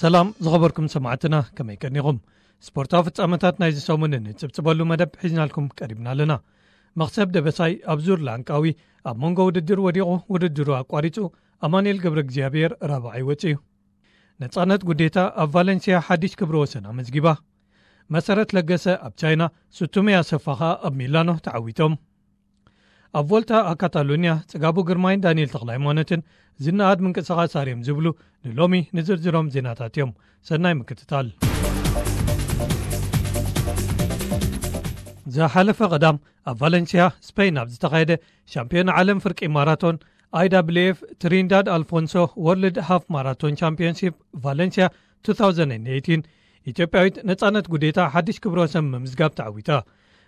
ሰላም ዝኸበርኩም ሰማዕትና፣ ከመይ ቀኒኹም? ስፖርታዊ ፍጻመታት ናይዚ ሰሙን እንጽብጽበሉ መደብ ሒዝናልኩም ቀሪብና ኣለና። መኽሰብ ደበሳይ ኣብ ዙር ላንቃዊ ኣብ መንጎ ውድድር ወዲቑ ውድድሩ ኣቋሪጹ። ኣማኑኤል ገብረ እግዚኣብሔር ራብዓይ ወጺኡ። ነጻነት ጉዴታ ኣብ ቫለንሲያ ሓድሽ ክብረ ወሰን ኣመዝጊባ። መሰረት ለገሰ ኣብ ቻይና ሱቱሜ ኣሰፋ ኸኣ ኣብ ሚላኖ ተዓዊቶም። ኣብ ቮልታ ኣብ ካታሎኒያ ጽጋቡ ግርማይን ዳንኤል ተኽለሃይማኖትን ዝነኣድ ምንቅስቓስ ኣርዮም ዝብሉ ንሎሚ ንዝርዝሮም ዜናታት እዮም። ሰናይ ምክትታል። ዝሓለፈ ቀዳም ኣብ ቫለንሲያ ስፔን ኣብ ዝተኻየደ ሻምፒዮን ዓለም ፍርቂ ማራቶን፣ ኣይዳብልኤፍ ትሪንዳድ ኣልፎንሶ ወርልድ ሃፍ ማራቶን ቻምፒዮንሺፕ ቫለንሲያ two thousand eighteen፣ ኢትዮጵያዊት ነጻነት ጉዴታ ሓድሽ ክብረ ወሰን ምምዝጋብ ተዓዊታ።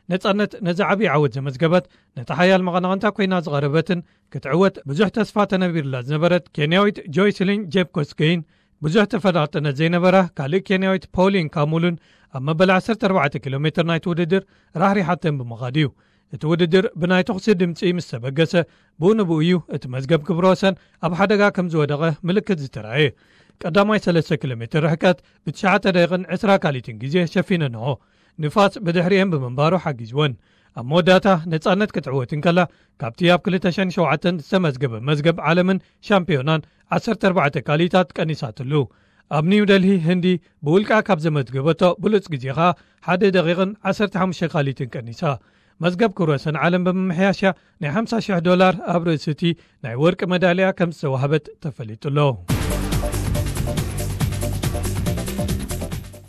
ነጻነት ነዚ ዓብዪ ዓወት ዘመዝገበት፣ ነታ ሓያል መቐናቕንታ ኮይና ዝቐረበትን ክትዕወት ብዙሕ ተስፋ ተነቢርላ ዝነበረት ኬንያዊት ጆይስሊን ጄፕኮስገይን ብዙሕ ተፈላጥነት ዘይነበራ ካልእ ኬንያዊት ፖሊን ካሙሉን ኣብ መበል ዓሰርተ ኣርባዕተ ኪሎ ሜትር ናይቲ ውድድር ራሕሪሓተን ብምኻድ እዩ። እቲ ውድድር ብናይ ተኹሲ ድምጺ ምስ ተበገሰ፣ ብኡ ንብኡ እዩ እቲ መዝገብ ክብረ ወሰን ኣብ ሓደጋ ከም ዝወደቐ ምልክት ዝተራእየ። ቀዳማይ ሰለስተ ኪሎ ሜትር ርሕቀት ብትሽዓተ ደቂቕን ዕስራ ካሊትን ግዜ ሸፊነንኦ። ንፋስ ብድሕሪኤን ብምንባሩ ሓጊዝወን። ኣብ መወዳእታ ነጻነት ክትዕወት እንከላ፣ ካብቲ ኣብ ክልተ ሽሕን ሸውዓተን ዝተመዝገበ መዝገብ ዓለምን ሻምፒዮናን ዓሰርተ ኣርባዕተ ካሊታት ቀኒሳትሉ። ኣብ ኒው ደልሂ ህንዲ ብውልቃ ካብ ዘመዝገበቶ ብሉጽ ግዜ ኸኣ ሓደ ደቂቕን ዓሰርተ ሓሙሽተ ካሊትን ቀኒሳ። መዝገብ ክብረ ወሰን ዓለም ብምምሕያሽ እያ ናይ ሓምሳ ሽሕ ዶላር ኣብ ርእሲ እቲ ናይ ወርቂ መዳልያ ከም ዝተዋህበት ተፈሊጡ ኣሎ።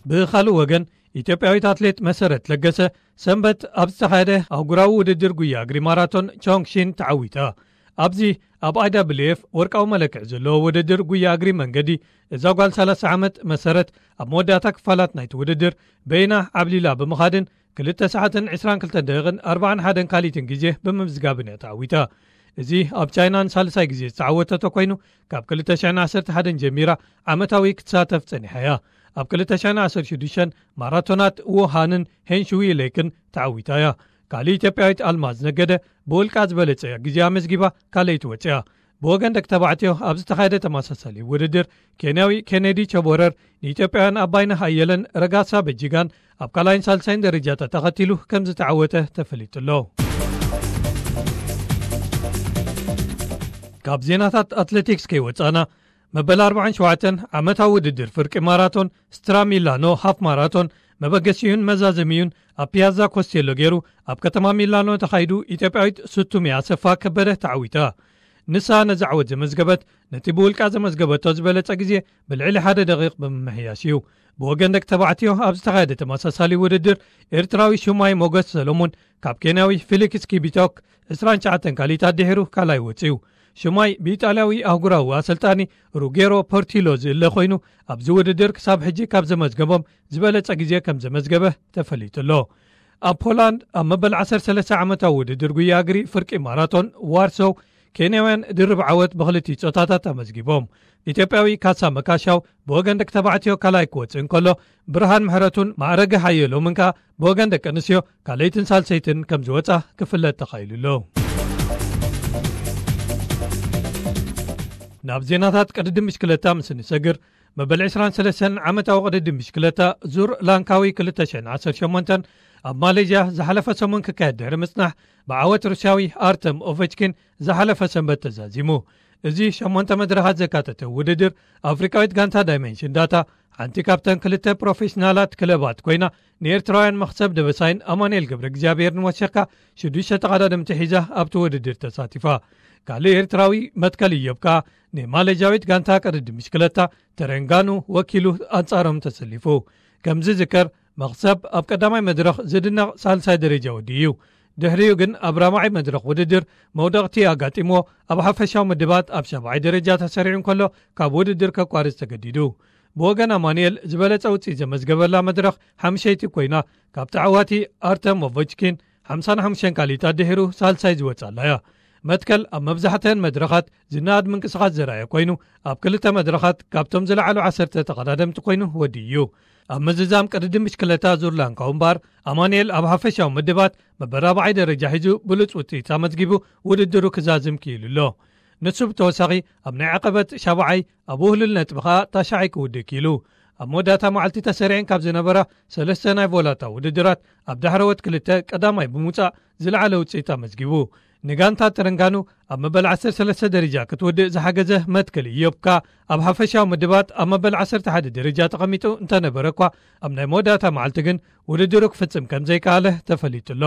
ብኻልእ ወገን፣ ኢትዮጵያዊት ኣትሌት መሰረት ለገሰ ሰንበት ኣብ ዝተኻየደ ኣህጉራዊ ውድድር ጉያ እግሪ ማራቶን ቾንግሺን ተዓዊታ። ኣብዚ ኣብ ኣይዳብልኤፍ ወርቃዊ መለክዒ ዘለዎ ውድድር ጉያ እግሪ መንገዲ፣ እዛ ጓል ሰላሳ ዓመት መሰረት ኣብ መወዳእታ ክፋላት ናይቲ ውድድር በይና ዓብሊላ ብምኻድን ክልተ ሰዓትን ዕስራን ክልተን ደቂቕን ኣርባዓን ሓደን ካሊትን ግዜ ብምምዝጋብን እያ ተዓዊታ። እዚ ኣብ ቻይና ንሳልሳይ ግዜ ዝተዓወተቶ ኮይኑ፣ ካብ ክልተ ሽሕን ዓሰርተ ሓደን ጀሚራ ዓመታዊ ክትሳተፍ ጸኒሓ እያ። ኣብ ክልተ ሽሕን ዓሰርተ ሽዱሽተን ማራቶናት ዉሃንን ሄንሽዊ ሌክን ተዓዊታ እያ። ካልእ ኢትዮጵያዊት ኣልማዝ ነገደ ብውልቃ ዝበለጸ ግዜ ኣመዝጊባ ካልኣይቲ ወጺኣ። ብወገን ደቂ ተባዕትዮ ኣብ ዝተኻየደ ተመሳሳሊ ውድድር፣ ኬንያዊ ኬኔዲ ቸቦረር ንኢትዮጵያውያን ኣባይነህ ኣየለን ረጋሳ በጂጋን ኣብ ካልኣይን ሳልሳይን ደረጃታት ተኸቲሉ ከም ዝተዓወተ ተፈሊጡ ኣሎ። ካብ ዜናታት ኣትሌቲክስ ከይወጻና፣ መበል ኣርባዓን ሸውዓተን ዓመታዊ ውድድር ፍርቂ ማራቶን ስትራ ሚላኖ ሃፍ ማራቶን መበገሲኡን መዛዘሚኡን ኣብ ፒያዛ ኮስቴሎ ገይሩ ኣብ ከተማ ሚላኖ ተኻይዱ፣ ኢትዮጵያዊት ሱቱሜ ኣሰፋ ከበደ ተዓዊታ። ንሳ ነዚ ዓወት ዘመዝገበት፣ ነቲ ብውልቃ ዘመዝገበቶ ዝበለጸ ግዜ ብልዕሊ ሓደ ደቂቕ ብምምሕያሽ እዩ። ብወገን ደቂ ተባዕትዮ ኣብ ዝተኻየደ ተመሳሳሊ ውድድር፣ ኤርትራዊ ሹማይ ሞገስ ሰሎሞን ካብ ኬንያዊ ፊሊክስ ኪቢቶክ ዕስራን ትሽዓተን ካሊታት ድሒሩ ካልኣይ ወጺኡ። ሹማይ ብኢጣልያዊ ኣህጉራዊ ኣሰልጣኒ ሩጌሮ ፖርቲሎ ዝእለ ኮይኑ፣ ኣብዚ ውድድር ክሳብ ሕጂ ካብ ዘመዝገቦም ዝበለጸ ግዜ ከም ዘመዝገበ ተፈሊጡ ኣሎ። ኣብ ፖላንድ ኣብ መበል ዓሰርተ ሰለስተ ዓመታዊ ውድድር ጉያ እግሪ ፍርቂ ማራቶን ዋርሶው፣ ኬንያውያን ድርብ ዓወት ብኽልቲኡ ጾታታት ኣመዝጊቦም። ኢትዮጵያዊ ካሳ መካሻው ብወገን ደቂ ተባዕትዮ ካልኣይ ክወጽእ እንከሎ፣ ብርሃን ምሕረቱን ማዕረገ ሓየሎምን ከኣ ብወገን ደቂ ኣንስትዮ ካልኣይትን ሳልሰይትን ከም ዝወጻ ክፍለጥ ተኻኢሉ ኣሎ። ናብ ዜናታት ቅድድም ብሽክለታ ምስ እንሰግር፣ መበል ዕስራን ሰለስተን ዓመታዊ ቅድድም ብሽክለታ ዙር ላንካዊ ክልተ ሽሕን ዓሰርተ ሸሞንተን ኣብ ማሌዥያ ዝሓለፈ ሰሙን ክካየድ ድሕሪ ምጽናሕ፣ ብዓወት ሩስያዊ ኣርተም ኦቨችኪን ዝሓለፈ ሰንበት ተዛዚሙ። እዚ ሸሞንተ መድረኻት ዘካተተ ውድድር፣ ኣፍሪቃዊት ጋንታ ዳይመንሽን ዳታ፣ ሓንቲ ካብተን ክልተ ፕሮፌሽናላት ክለባት ኮይና፣ ንኤርትራውያን መኽሰብ ደበሳይን ኣማኑኤል ገብረ እግዚኣብሔርን ወሲኽካ ሽዱሽተ ተቐዳደምቲ ሒዛ ኣብቲ ውድድር ተሳቲፋ። ካልእ ኤርትራዊ መትከል እዮብ ከኣ ንማሌዥያዊት ጋንታ ቅድድም ብሽክለታ ተረንጋኑ ወኪሉ ኣንጻሮም ተሰሊፉ። ከም ዝዝከር፣ መኽሰብ ኣብ ቀዳማይ መድረኽ ዝድነቕ ሳልሳይ ደረጃ ወዲኡ እዩ። ድሕሪኡ ግን ኣብ ራብዓይ መድረኽ ውድድር መውደቕቲ ኣጋጢምዎ፣ ኣብ ሓፈሻዊ ምድባት ኣብ ሻብዓይ ደረጃ ተሰሪዑ እንከሎ፣ ካብ ውድድር ከቋርጽ ተገዲዱ። ብወገን ኣማኑኤል ዝበለጸ ውጽኢት ዘመዝገበላ መድረኽ ሓምሸይቲ ኮይና፣ ካብ ተዓዋቲ ኣርተም ኦቨችኪን ሓምሳን ሓሙሽተን ካሊታት ድሒሩ ሳልሳይ ዝወጻላ እያ። መትከል ኣብ መብዛሕትአን መድረኻት ዝነኣድ ምንቅስቓስ ዘርኣየ ኮይኑ፣ ኣብ ክልተ መድረኻት ካብቶም ዝለዓሉ ዓሰርተ ተቐዳደምቲ ኮይኑ ወዲኡ እዩ። ኣብ ምዝዛም ቅድድም ብሽክለታ ዙር ላንካው እምበኣር፣ ኣማኑኤል ኣብ ሓፈሻዊ ምድባት መበል ራብዓይ ደረጃ ሒዙ ብሉጽ ውጽኢት ኣመዝጊቡ ውድድሩ ክዛዝም ክኢሉ ኣሎ። ንሱ ብተወሳኺ ኣብ ናይ ዓቐበት ሻብዓይ፣ ኣብ ውህሉል ነጥቢ ኸኣ ታሽዓይ ክውድእ ክኢሉ። ኣብ መወዳእታ መዓልቲ ተሰሪዐን ካብ ዝነበራ ሰለስተ ናይ ቮላታ ውድድራት ኣብ ዳሕረወት ክልተ ቀዳማይ ብምውጻእ ዝለዓለ ውጽኢት ኣመዝጊቡ። ንጋንታ ተረንጋኑ ኣብ መበል ዓሰርተ ሰለስተ ደረጃ ክትውድእ ዝሓገዘ መትከል ኢዮብካ ኣብ ሓፈሻዊ ምድባት ኣብ መበል ዓሰርተ ሓደ ደረጃ ተቐሚጡ እንተነበረ እኳ ኣብ ናይ መወዳእታ መዓልቲ ግን ውድድሩ ክፍጽም ከም ዘይከኣለ ተፈሊጡ ኣሎ።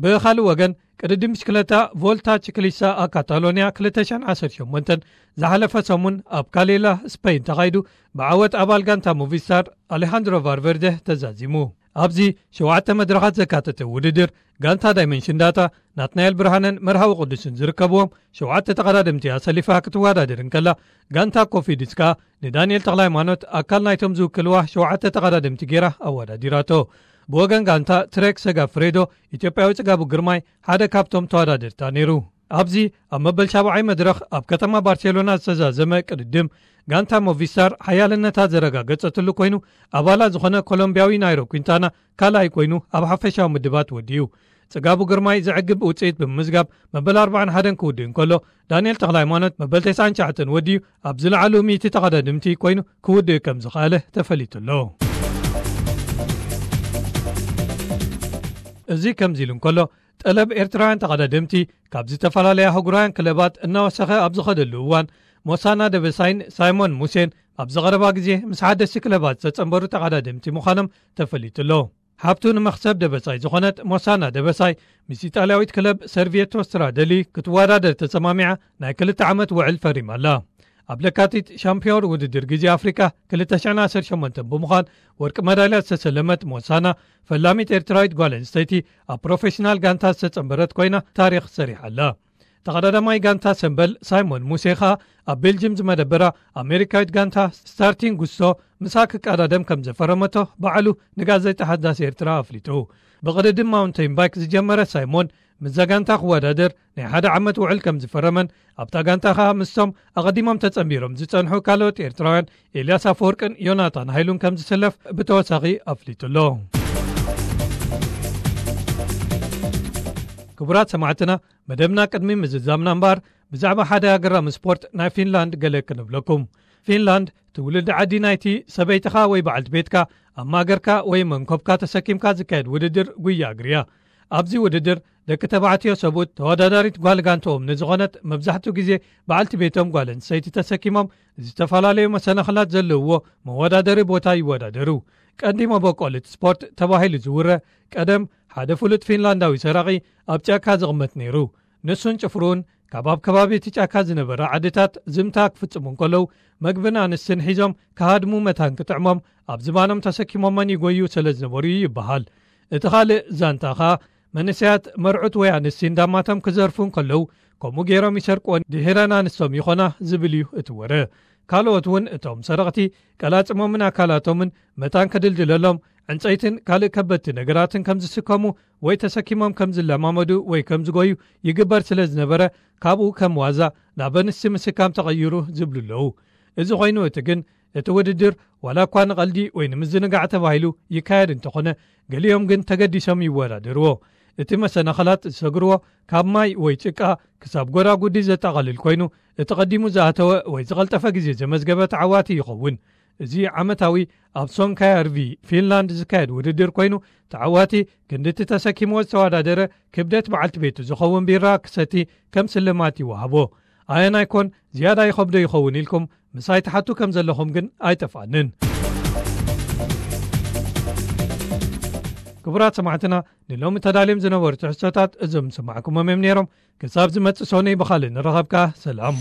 ብኻልእ ወገን ቅድድም ብሽክለታ ቮልታ ቺክሊሳ ኣብ ካታሎንያ ክልተ ሽሕን ዓሰርተ ሸሞንተን ዝሓለፈ ሰሙን ኣብ ካሌላ ስፔን ተኻይዱ ብዓወት ኣባል ጋንታ ሞቪስታር ኣሌሃንድሮ ቫርቨርደ ተዛዚሙ። ኣብዚ ሸውዓተ መድረኻት ዘካተተ ውድድር ጋንታ ዳይመንሽን ዳታ ናትናኤል ብርሃነን መርሃዊ ቅዱስን ዝርከብዎም ሸውዓተ ተቐዳደምቲ ኣሰሊፋ ክትወዳደር እንከላ ጋንታ ኮፊድስ ከኣ ንዳንኤል ተኽለሃይማኖት ኣካል ናይቶም ዝውክልዋ ሸውዓተ ተቐዳደምቲ ገይራ ኣወዳዲራቶ። ብወገን ጋንታ ትሬክ ሰጋ ፍሬዶ ኢትዮጵያዊ ጽጋቡ ግርማይ ሓደ ካብቶም ተወዳደርታ ነይሩ። ኣብዚ ኣብ መበል ሻብዓይ መድረኽ ኣብ ከተማ ባርሴሎና ዝተዛዘመ ቅድድም ጋንታ ሞቪስታር ሓያልነታ ዘረጋገጸትሉ ኮይኑ ኣባላ ዝኾነ ኮሎምቢያዊ ናይሮ ኩንታና ካልኣይ ኮይኑ ኣብ ሓፈሻዊ ምድባት ወዲኡ። ጽጋቡ ግርማይ ዘዕግብ ውጽኢት ብምምዝጋብ መበል ኣርባዓን ሓደን ክውድእ እንከሎ ዳንኤል ተኽለሃይማኖት መበል ተስዓን ትሽዓተን ወዲኡ ኣብ ዝለዓሉ ሚእቲ ተቐዳድምቲ ኮይኑ ክውድእ ከም ዝኸኣለ ተፈሊጡ ኣሎ። እዚ ከምዚ ኢሉ እንከሎ ጠለብ ኤርትራውያን ተቐዳደምቲ ካብ ዝተፈላለያ ኣህጉራውያን ክለባት እናወሰኸ ኣብ ዝኸደሉ እዋን ሞሳና ደበሳይን ሳይሞን ሙሴን ኣብ ዝቐረባ ግዜ ምስ ሓደስቲ ክለባት ዝተጸንበሩ ተቐዳደምቲ ምዃኖም ተፈሊጡ ኣሎ። ሃብቱ ንመኽሰብ ደበሳይ ዝኾነት ሞሳና ደበሳይ ምስ ኢጣልያዊት ክለብ ሰርቪየቶ ስትራደሊ ክትወዳደር ተሰማሚዓ ናይ ክልተ ዓመት ውዕል ፈሪማ ኣላ። ኣብ ለካቲት ሻምፒዮን ውድድር ግዜ ኣፍሪቃ ክልተ ሽሕን ዓሰርተ ሸሞንተን ብምዃን ወርቂ መዳልያ ዝተሰለመት ሞሳና ፈላሚት ኤርትራዊት ጓል ኣንስተይቲ ኣብ ፕሮፌሽናል ጋንታ ዝተጸንበረት ኮይና ታሪኽ ሰሪሓ ኣላ። ተቐዳዳማይ ጋንታ ሰምበል ሳይሞን ሙሴ ኸኣ ኣብ ቤልጅም ዝመደበራ ኣሜሪካዊት ጋንታ ስታርቲንግ ጉስቶ ምሳ ክቀዳደም ከም ዘፈረመቶ ባዕሉ ንጋዜጣ ሓዳስ ኤርትራ ኣፍሊጡ። ብቕድድም ማውንቴን ባይክ ዝጀመረ ሳይሞን ምስዛ ጋንታ ክወዳደር ናይ ሓደ ዓመት ውዕል ከም ዝፈረመን ኣብታ ጋንታ ኸኣ ምስቶም ኣቐዲሞም ተጸንቢሮም ዝጸንሑ ካልኦት ኤርትራውያን ኤልያስ ኣፈወርቅን ዮናታን ሃይሉን ከም ዝስለፍ ብተወሳኺ ኣፍሊጡ ኣሎ። ክቡራት ሰማዕትና፣ መደብና ቅድሚ ምዝዛምና እምበኣር ብዛዕባ ሓደ ኣገራሚ ስፖርት ናይ ፊንላንድ ገለ ክንብለኩም። ፊንላንድ ትውልዲ ዓዲ ናይቲ ሰበይትኻ ወይ በዓልቲ ቤትካ ኣብ ማእገርካ ወይ መንኮብካ ተሰኪምካ ዝካየድ ውድድር ጉያ እግሪ እያ። ኣብዚ ውድድር ደቂ ተባዕትዮ ሰብኡት ተወዳዳሪት ጓል ጋንትኦም ንዝኾነት መብዛሕትኡ ግዜ በዓልቲ ቤቶም ጓል ኣንስተይቲ ተሰኪሞም ዝተፈላለዩ መሰናኽላት ዘለውዎ መወዳደሪ ቦታ ይወዳደሩ። ቀንዲ መበቆል እቲ ስፖርት ተባሂሉ ዝውረ ቀደም ሓደ ፍሉጥ ፊንላንዳዊ ሰራቒ ኣብ ጫካ ዝቕመጥ ነይሩ። ንሱን ጭፍርኡን ካብ ኣብ ከባቢ እቲ ጫካ ዝነበራ ዓድታት ዝምታ ክፍጽሙ እንከለዉ መግብን ኣንስትን ሒዞም ክሃድሙ መታን ክጥዕሞም ኣብ ዝባኖም ተሰኪሞመን ይጎዩ ስለ ዝነበሩ እዩ ይበሃል። እቲ ካልእ ዛንታ ኸኣ መንእሰያት መርዑት ወይ ኣንስቲ እንዳማቶም ክዘርፉ እንከለዉ ከምኡ ገይሮም ይሰርቅወን ድሒረን ኣንስቶም ይኾና ዝብል እዩ እቲ ወረ። ካልኦት እውን እቶም ሰረቕቲ ቀላጽሞምን ኣካላቶምን መታን ክድልድለሎም ዕንጸይትን ካልእ ከበድቲ ነገራትን ከም ዝስከሙ ወይ ተሰኪሞም ከም ዝለማመዱ ወይ ከም ዝጎዩ ይግበር ስለ ዝነበረ ካብኡ ከም ዋዛ ናብ ኣንስቲ ምስካም ተቐይሩ ዝብሉ ኣለዉ። እዚ ኮይኑ እቲ ግን እቲ ውድድር ዋላ እኳ ንቐልዲ ወይ ንምዝንጋዕ ተባሂሉ ይካየድ እንተኾነ ገሊኦም ግን ተገዲሶም ይወዳደርዎ። እቲ መሰናኸላት ዝሰግርዎ ካብ ማይ ወይ ጭቃ ክሳብ ጎዳጉዲ ዘጠቓልል ኮይኑ እቲ ቀዲሙ ዝኣተወ ወይ ዝቐልጠፈ ግዜ ዘመዝገበ ተዓዋቲ ይኸውን። እዚ ዓመታዊ ኣብ ሶንካያርቪ ፊንላንድ ዝካየድ ውድድር ኮይኑ ተዓዋቲ ክንድቲ ተሰኪምዎ ዝተወዳደረ ክብደት በዓልቲ ቤቱ ዝኸውን ቢራ ክሰቲ ከም ስልማት ይወሃቦ። ኣየናይ ኮን ዝያዳ ይኸብዶ ይኸውን ኢልኩም ምሳይ ትሓቱ ከም ዘለኹም ግን ኣይጠፍኣንን። ክቡራት ሰማዕትና ንሎሚ ተዳልዮም ዝነበሩ ትሕዝቶታት እዞም ዝሰማዕኩሞም እዮም ነይሮም። ክሳብ ዝመጽእ ሶኒ ብኻልእ ንረኸብካ ሰላም።